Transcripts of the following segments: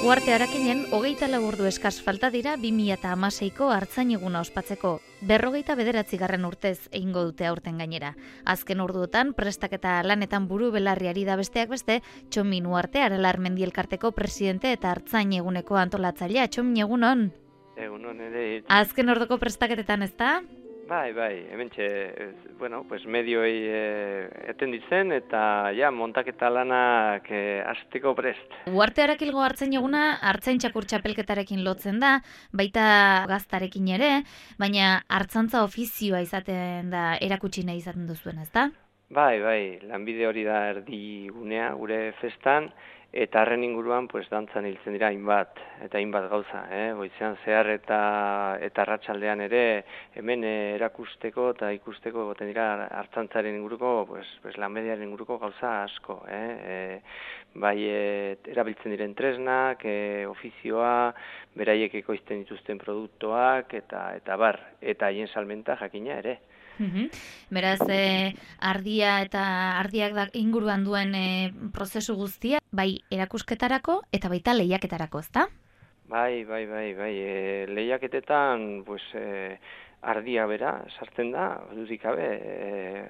Uharte Arakinen 24 ordu eskas falta dira 2016ko Artzain eguna ospatzeko. 49. urtez egingo dute aurten gainera. Azken orduotan prestaketa lanetan buru belarriari da besteak beste, Txomin Uharte Aralar Mendi Elkarteko presidente eta Artzain eguneko antolatzailea. Txomin, egunon? Egunon ere. Azken orduko prestaketetan, ezta? Bai, hementxe, pues medioi eten ditzen eta montaketa lanak hasteko prest. Uharte Arakilgo Artzain eguna Artzain txakur txapelketarekin lotzen da, baita gaztarekin ere, baina artzantza ofizioa izaten da erakutsi nahi izaten duzuen, ezta? Bai, lanbide hori da erdigunea gure festan, eta harren inguruan dantzan hiltzen dira hainbat gauza, goizean zehar eta arratsaldean ere hemen erakusteko eta ikusteko egoten dira artzantzaren inguruko, lanbidearen inguruko gauza asko, bai erabiltzen diren tresnak, ofizioa, beraiek ekoizten dituzten produktuak eta haien salmenta jakina ere. Beraz, ardia eta ardiak inguruan duen prozesu guztia, bai erakusketarako eta baita lehiaketarako, ezta? Bai, lehiaketetan ardia bera sartzen da, dudik gabe,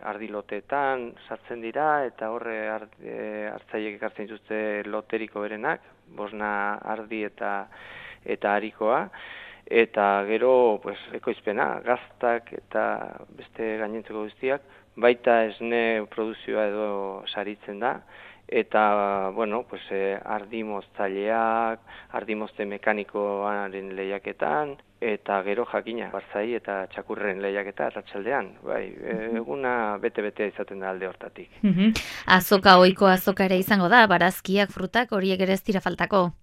ardiloteetan sartzen dira eta horre hartzaiek ekartzen dituzte loteriko berenak, 5 ardi eta harikoa. Eta gero ekoizpena, gaztak eta beste gainentzeko guztiak, baita esne produzioa edo saritzen da, eta ardi moztzaileak, ardi mozte mekanikoaren lehiaketan, eta gero jakina, barzai eta txakurren lehiaketa arratsaldean, eguna bete-betea izaten da alde hortatik. Azoka, ohiko azoka ere izango da, barazkiak, frutak, horiek ere ez dira faltako.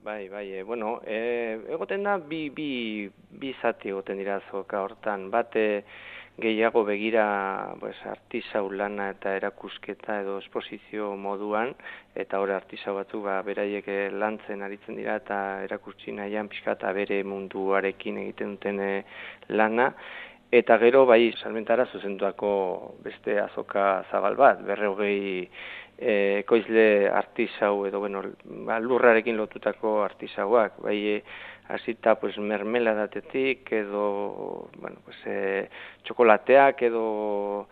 Bai, egoten da, bi zati egoten dira azoka hortan, bate gehiago begira artisau lana eta erakusketa edo esposizio moduan, eta hori artisau batzuk beraiek lantzen aritzen dira eta erakutsi nahian pixka eta bere munduarekin egiten duten lana, eta gero salmentara zuzenduako beste azoka zabal bat, 200 ekoizle artisau edo lurrarekin lotutako artisauak, hasita mermeladatetik edo txokolateak edo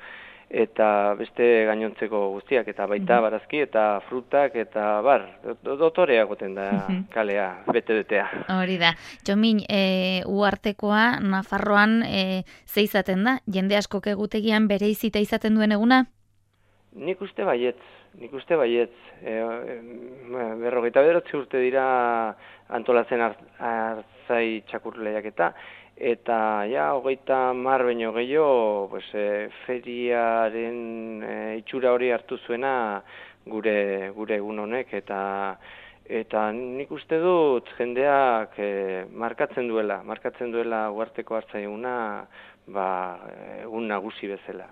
eta beste gainontzeko guztiak, eta baita barazki eta frutak eta dotorea goten da kalea, bete-betea. Hori da. Txomin, Uhartekoa Nafarroan ze izaten da? Jende askok egutegian bere izita izaten duen eguna? Nik uste baietz. 59 urte dira antolatzen artzai txakur lehiaketa, eta 30 baino gehiago feriaren itxura hori hartu zuena gure egun honek, eta nik uste dut jendeak markatzen duela Uharteko Artzain eguna egun nagusi bezala.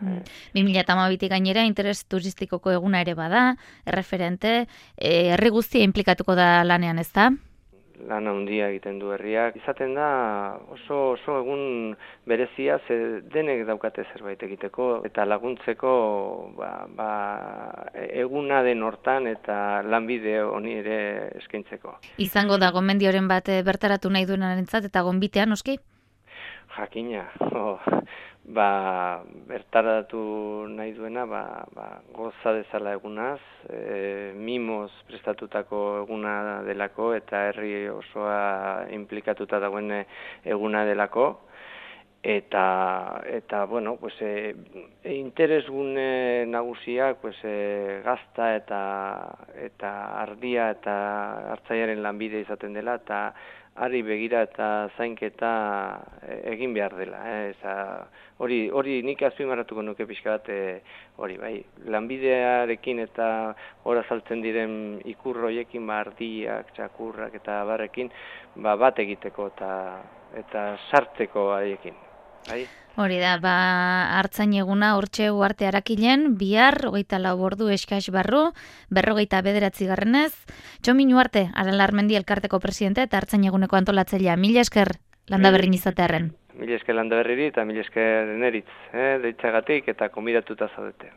2012 gainera interes turistikoko eguna ere bada, erreferente, herri guztia inplikatuko da lanean, ezta? Lan handia egiten du herriak. Izaten da oso egun berezia, ze denek daukate zerbait egiteko eta laguntzeko eguna den hortan eta lanbide honi ere eskaintzeko. Izango da gomendioren bat bertaratu nahi duenarentzat eta gonbitea, noski? Jakina, bertaratu nahi duena, goza dezala egunaz, mimoz prestatutako eguna delako eta herri osoa implikatuta dagoen eguna delako, eta interesgune nagusiak gazta eta ardia eta artzaiaren lanbide izaten dela, eta ari begira eta zainketa egin behar dela. Hori nik azpimarratuko nuke pixka bat, lanbidearekin eta hor azaltzen diren ikurroiekin, ardiak, txakurrak eta barrekin, bat egiteko eta sartzeko haiekin. Hori da, Artzain eguna hortxe Uharte Arakilen, bihar, 24 ordu eskas barru, 59. Txomin Uharte, Aralar Mendi Elkarteko presidente eta Artzain eguneko antolatzailea. Mila esker landaberrin izatearren. Mila esker landaberriri eta mila esker neritz, deitzagatik eta konbidatuta zaudete.